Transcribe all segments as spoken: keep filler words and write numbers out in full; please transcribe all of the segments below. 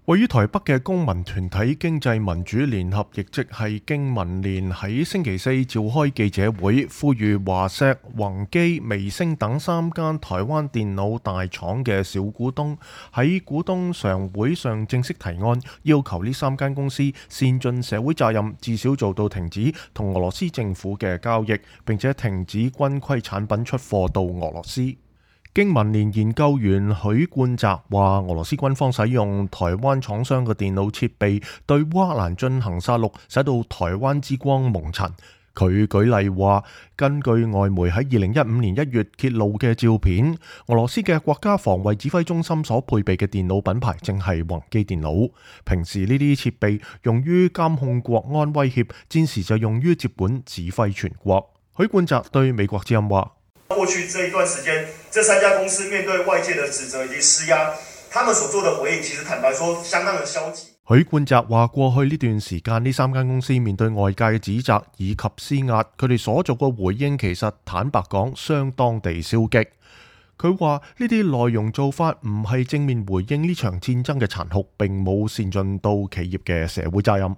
位於台北嘅公民團體經濟民主聯合，亦即係經民聯，喺星期四召開記者會，呼籲華碩、宏基、微星等三間台灣電腦大廠嘅小股東喺股東常會上正式提案，要求呢三間公司善盡社會責任，至少做到停止同俄羅斯政府嘅交易，並且停止軍規產品出貨到俄羅斯。經民聯研究員許冠澤話：俄羅斯軍方使用台灣廠商嘅電腦設備對烏克蘭進行殺戮，使到台灣之光蒙塵。佢舉例話，根據外媒喺二零一五年一月揭露嘅照片，俄羅斯嘅國家防衛指揮中心所配備嘅電腦品牌正係宏基電腦。平時呢啲設備用於監控國安威脅，戰時就用於接管指揮全國。許冠澤對美國之音話：過去這一段時間，這三家公司面對外界的指責以及施壓，他們所做的回應，其實坦白說，相當的消極。許冠澤話：過去呢段時間，呢三間公司面對外界嘅指責以及施壓，佢哋所做嘅回應，其實坦白講，相當地消極。佢話呢啲內容做法唔係正面回應呢場戰爭嘅殘酷，並冇善盡到企業嘅社會責任。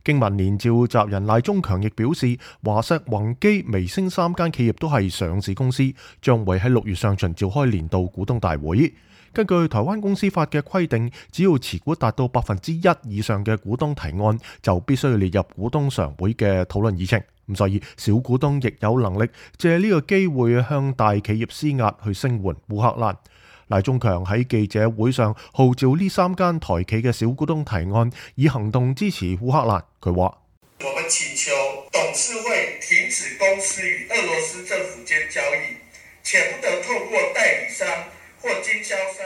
經民聯召集人賴中強亦表示，華碩、宏基、微星三間企業都係上市公司，將會喺六月上旬召開年度股東大會。根據台灣公司法嘅規定，只要持股達到百分之一以上嘅股東提案，就必須要列入股東常會嘅討論議程。咁所以小股東亦有能力借呢個機會向大企業施壓去聲援烏克蘭。賴中強喺記者會上號召呢三間台企嘅小股東提案，以行動支持烏克蘭。佢話：我們請求董事會停止公司與俄羅斯政府間交易，且不得透過代理商或經銷商。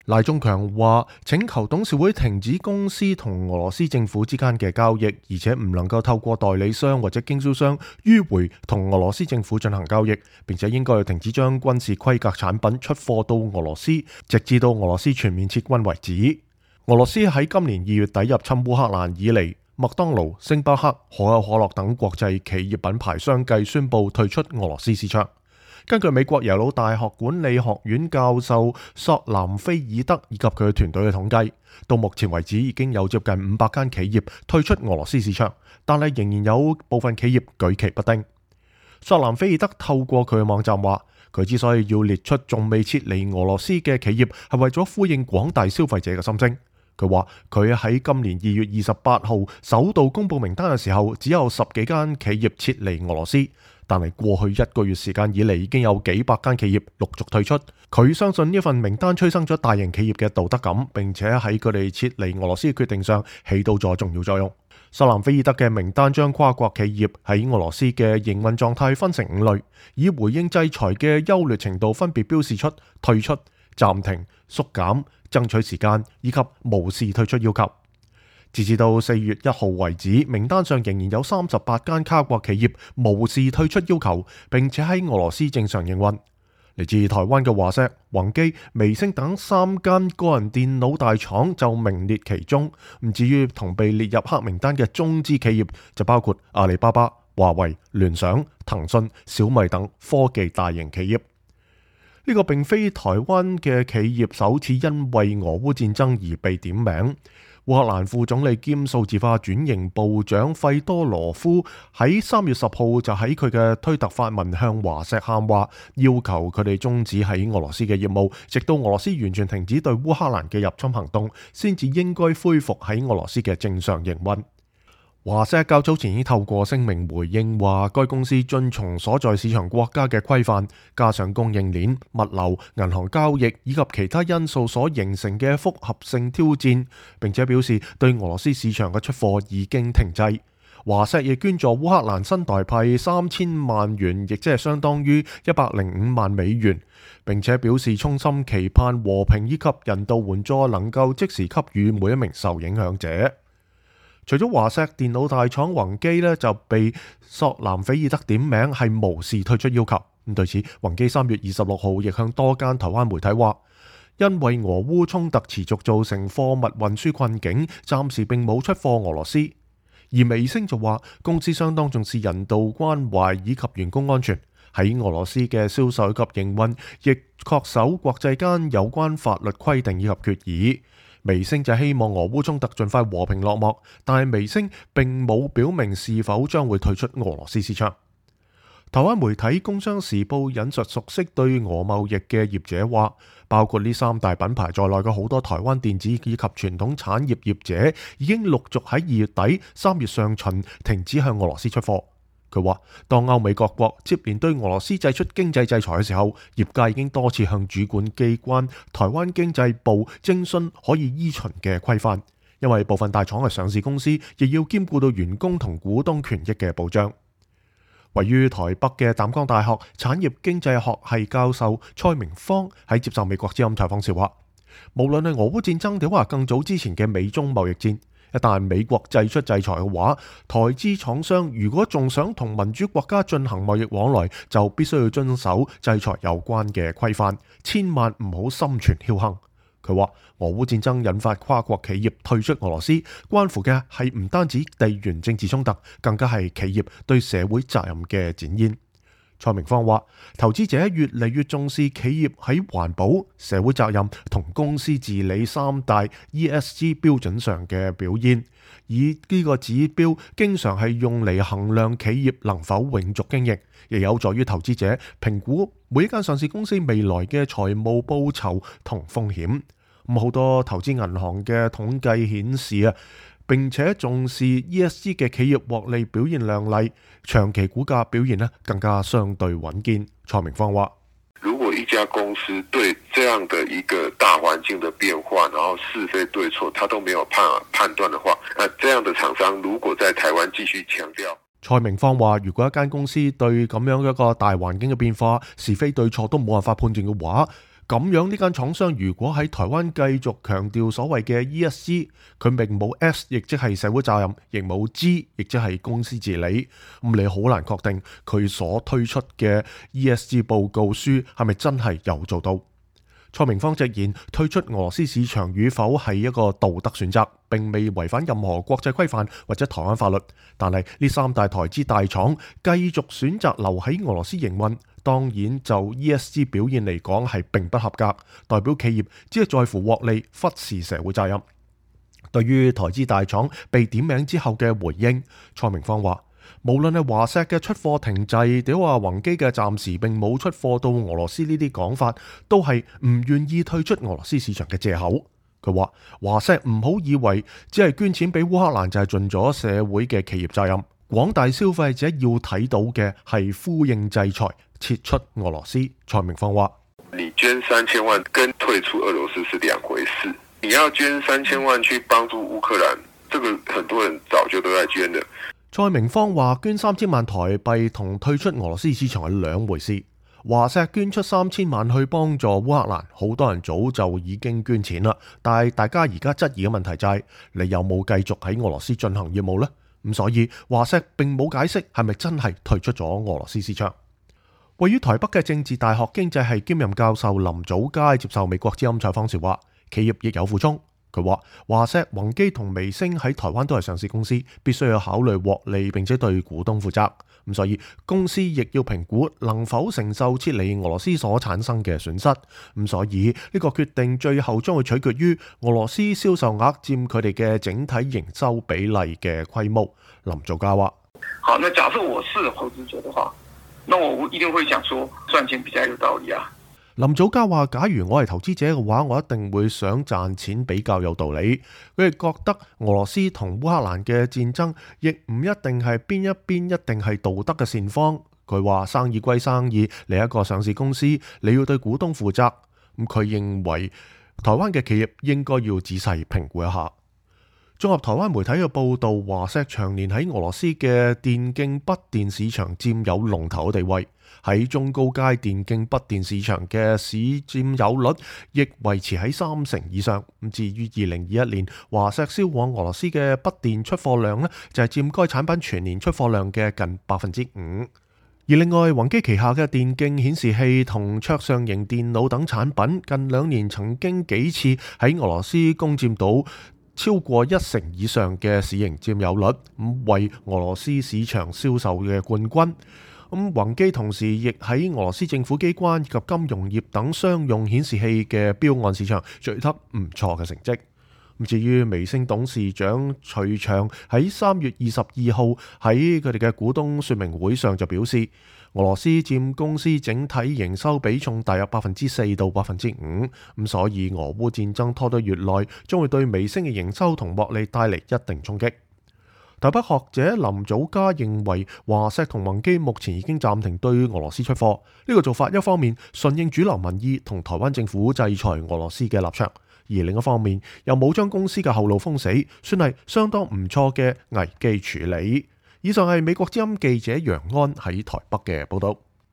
賴中強話：請求董事會停止公司同俄羅斯政府之間嘅交易，而且唔能夠透過代理商或者經銷商迂回同俄羅斯政府進行交易，並且應該停止將軍事規格產品出貨到俄羅斯，直至到俄羅斯全面撤軍為止。俄羅斯喺今年二月底入侵烏克蘭以嚟，麥當勞、星巴克、可口可樂等國際企業品牌相繼宣布退出俄羅斯市場。根據美國耶魯大學管理學院教授索南菲爾德以及佢嘅團隊嘅統計，到目前為止已經有接近五百間企業退出俄羅斯市場，但係仍然有部分企業舉棋不定。索南菲爾德透過佢嘅網站話，佢之所以要列出仲未撤離俄羅斯嘅企業，係為咗呼應廣大消費者嘅心聲。佢話佢喺今年二月二十八號首度公布名單嘅時候，只有十幾間企業撤離俄羅斯，但係過去一個月時間以嚟，已經有幾百間企業陸續退出。佢相信呢份名單催生咗大型企業嘅道德感，並且喺佢哋撤離俄羅斯嘅決定上起到咗重要作用。索南菲爾德嘅名單將跨國企業喺俄羅斯嘅營運狀態分成五類，以回應制裁嘅優劣程度分別標示出退出、暫停、縮減、爭取時間以及無視退出要求。截至到四月一號為止，名單上仍然有三十八間跨國企業無視退出要求，並且喺俄羅斯正常營運。嚟自台灣嘅華碩、宏基、微星等三間個人電腦大廠就名列其中。唔至於同被列入黑名單嘅中資企業，就包括阿里巴巴、華為、聯想、騰訊、小米等科技大型企業。呢個並非台灣嘅企業首次因為俄烏戰爭而被點名。烏克蘭副總理兼數字化轉型部長費多羅夫喺三月十號就喺佢嘅推特發文向華碩喊話，要求佢哋終止喺俄羅斯嘅業務，直到俄羅斯完全停止對烏克蘭嘅入侵行動，先至應該恢復喺俄羅斯嘅正常營運。華碩較早前已經透過聲明回應話，該公司遵從所在市場國家嘅規範，加上供應鏈、物流、銀行交易以及其他因素所形成嘅複合性挑戰，並且表示對俄羅斯市場嘅出貨已經停滯。華碩亦捐助烏克蘭新台幣三千萬元，亦即係相當於一百零五萬美元，並且表示衷心期盼和平以及人道援助能夠即時給予每一名受影響者。除咗華碩，電腦大廠宏基呢就被索南菲爾德點名係無視退出要求。咁對此，宏基三月二十六號亦向多間台灣媒體話，因為俄烏衝突持續造成貨物運輸困境，暫時並冇出貨俄羅斯。而微星就話，公司相當重視人道關懷以及員工安全，喺俄羅斯嘅銷售及營運亦恪守國際間有關法律規定以及決議。微星就希望俄烏衝突盡快和平落幕，但係微星並冇表明是否將會退出俄羅斯市場。台灣媒體《工商時報》引述熟悉對俄貿易嘅業者話，包括呢三大品牌在內嘅好多台灣電子以及傳統產業業者已經陸續喺二月底、三月上旬停止向俄羅斯出貨。佢話，當歐美各國接連對俄羅斯祭出經濟制裁嘅時候，業界已經多次向主管機關台灣經濟部徵詢可以依循嘅規範，因為部分大廠係上市公司，亦要兼顧到員工同股東權益嘅保障。位於台北嘅淡江大學產業經濟學系教授蔡明芳喺接受美國之音採訪時話，無論係俄烏戰爭定話更早之前嘅美中貿易戰，一旦美國祭出制裁嘅話，台資廠商如果仲想同民主國家進行貿易往來，就必須要遵守制裁有關嘅規範，千萬唔好心存僥倖。佢話俄烏戰爭引發跨國企業退出俄羅斯，關乎嘅係唔單止地緣政治衝突，更加係企業對社會責任嘅展現。蔡明芳話，投資者越嚟越重視企業喺環保、社會責任同公司治理三大 E S G 標準上嘅表現，而呢個指標經常係用嚟衡量企業能否永續經營，亦有助於投資者評估每一間上市公司未來嘅財務報酬同風險。咁好多投資銀行嘅統計顯示啊，並且重視 E S G 嘅企業獲利表現亮麗，長期股價表現呢更加相對穩健。蔡明芳話，如果一家公司對這樣的一個大環境的變化，然後是非對錯，他都沒有判判斷的話，那這樣的廠商如果在台灣繼續強調，蔡明芳話，如果一間公司對咁樣一個大環境嘅變化，是非對錯都冇辦法判斷嘅話，咁樣呢間廠商如果喺台灣繼續強調所謂嘅 E S G， 佢並冇 S， 亦即係社會責任，亦冇 G， 亦即係公司治理，咁你好難確定佢所推出嘅 E S G 報告書係咪真係有做到。蔡明芳直言，退出俄羅斯市場與否係一個道德選擇，並未違反任何國際規範或者台灣法律，但係呢三大台資大廠繼續選擇留喺俄羅斯營運，當然就 E S G 表現嚟講係並不合格，代表企業只係在乎獲利，忽視社會責任。對於台資大廠被點名之後嘅回應，蔡明芳話，無論係華碩嘅出貨停滯，定話宏基嘅暫時並冇出貨到俄羅斯呢啲講法，都係唔願意退出俄羅斯市場嘅借口。佢話華碩唔好以為只係捐錢俾烏克蘭就係盡咗社會嘅企業責任，廣大消費者要睇到嘅係呼應制裁，撤出俄羅斯。蔡明芳話，你捐三千萬跟退出俄羅斯是兩回事，你要捐三千萬去幫助烏克蘭，這個很多人早就都在捐的。蔡明芳話，捐三千萬台幣同退出俄羅斯市場係兩回事。華碩捐出三千萬去幫助烏克蘭，好多人早就已經捐錢啦。但係大家而家質疑嘅問題就係、是，你有冇繼續喺俄羅斯進行業務呢？咁所以華碩並冇解釋係咪真係退出咗俄羅斯市場。位於台北嘅政治大學經濟系兼任教授林祖嘉接受美國之音採訪時話，企業亦有苦衷。佢話華碩、宏基同微星喺台灣都係上市公司，必須要考慮獲利，並且對股東負責。咁所以公司亦要評估能否承受撤離俄羅斯所產生嘅損失。咁所以呢個決定最後將會取決於俄羅斯銷售額佔佢哋嘅整體營收比例嘅規模。林祖嘉話：好，那假設我是投資者的話，那我一定會想說賺錢比較有道理啊。林祖嘉話，假如我係投資者嘅話，我一定會想賺錢比較有道理。佢哋覺得俄羅斯同烏克蘭嘅戰爭亦唔一定係邊一邊一定係道德嘅善方。佢話生意歸生意，你一個上市公司，你要對股東負責。咁佢認為台灣嘅企業應該要仔細評估一下。綜合台灣媒體嘅報導，華碩長年喺俄羅斯嘅電競筆電市場佔有龍頭地位，喺中高階電競筆電市場嘅市佔有率亦維持喺三成以上。咁至於二零二一年華碩銷往俄羅斯嘅筆電出貨量呢，就係、是、佔該產品全年出貨量嘅近百分之五。而另外，宏基旗下嘅電競顯示器同桌上型電腦等產品，近兩年曾經幾次喺俄羅斯攻佔到超過一成以上嘅市盈佔有率，咁為俄羅斯市場銷售嘅冠軍。咁宏基同時亦喺俄羅斯政府機關以及金融業等商用顯示器嘅標案市場取得唔錯嘅成績。至於微星董事長徐翔喺三月二十二號喺佢哋嘅股東說明會上就表示，俄羅斯佔公司整體營收比重大約百分之四到百分之五，咁所以俄烏戰爭拖得越耐，將會對微星嘅營收同獲利帶嚟一定衝擊。台北學者林祖嘉認為，華碩同宏基目前已經暫停對俄羅斯出貨，呢個做法一方面順應主流民意同台灣政府制裁俄羅斯嘅立場，而另一方面又冇將公司嘅後路封死，算係相當唔錯嘅危機處理。以上係美國之音記者楊安喺台北嘅報道。